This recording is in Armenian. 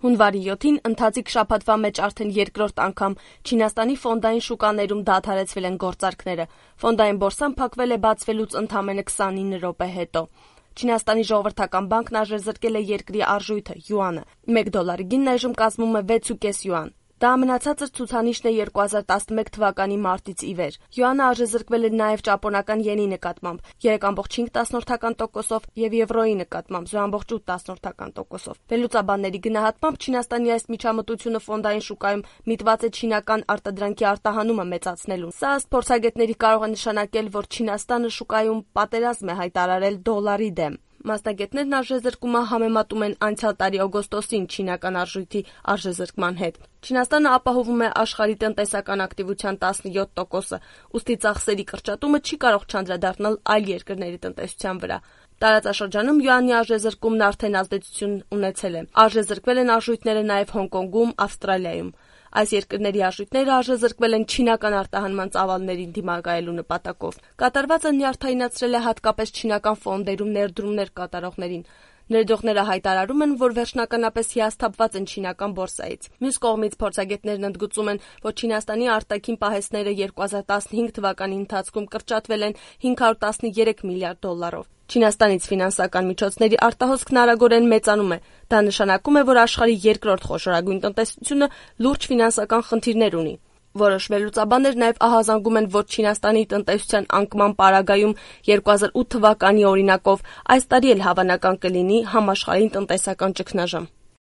Հունվարի 7-ին ընթացիկ շաբաթվա մեջ արդեն երկրորդ անգամ Չինաստանի ֆոնդային շուկաներում դադարեցվել են գործարքները։ Ֆոնդային բորսան փակվել է բացվելուց ընդամենը 29 րոպե հետո։ Չինաստանի ժողովրդական բանկն արժեզրկել է երկրի արժույթը՝ յուանը։ 1 դոլարի գինն այժմ կազմում է 6.5 յուան։ Դա ամենացածր ցուցանիշն է 2011 թվականի մարտից ի վեր։ Յուանը արժեզրկվել է նաև ճապոնական յենի նկատմամբ 3.5%-ով եւ եվրոյի նկատմամբ 0.8%-ով։ Վերլուծաբանների գնահատմամբ Չինաստանի այս միջամտությունը ֆոնդային շուկայում միտված է չինական արտադրանքի արտահանումը մեծացնելուն։ Սա ըստ փորձագետների կարող է նշանակել, որ Չինաստանը շուկայում պատերազմ է հայտարարել դոլարի դեմ։ Մասնագետներն արժեզրկումը համեմատում են անցյալ տարի օգոստոսին չինական արժույթի արժեզրկման հետ։ Չինաստանը ապահովում է աշխարհի տնտեսական ակտիվության 17%-ը, ուստի ծախսերի կրճատումը չի կարող չանդրադառնալ այլ երկրների տնտեսության վրա։ Տարածաշրջանում յուանի արժեզրկումն արդեն ազդեցություն ունեցել է։ Արժեզրկվել են արժույթները նաև Հոնկոնգում, Ավստրալիայում։ Այս երկրների արժույթները արժեզրկվել են չինական արտահանման ծավալներին դիմակայելու նպատակով։ Կատարվածը նյարդայնացրել է հատկապես չինական ֆոնդերում ներդրումներ կատարողներին։ Ներդրողները հայտարարում են, որ վերջնականապես հիասթափված են չինական բորսայից։ Մյուս կողմից փորձագետներն ընդգծում են, որ Չինաստանի արտաքին պահեստները 2015 թվականի ընթացքում կրճատվել են 513 միլիարդ դոլարով։ Չինաստանից ֆինանսական միջոցների արտահոսքն արագորեն մեծանում է։ Դա նշանակում է, որ աշխարհի երկրորդ խոշորագույն տնտեսությունը լուրջ ֆինանսական խնդիրներ ունի։ Որոշ վերլուծաբաններ նաև ահազանգում են, որ Չինաստանի տնտեսության անկման պարագայում 2008 թվականի օրինակով այս տարի էլ հավանական կլինի համաշխարհային տնտեսական ճգնաժամ։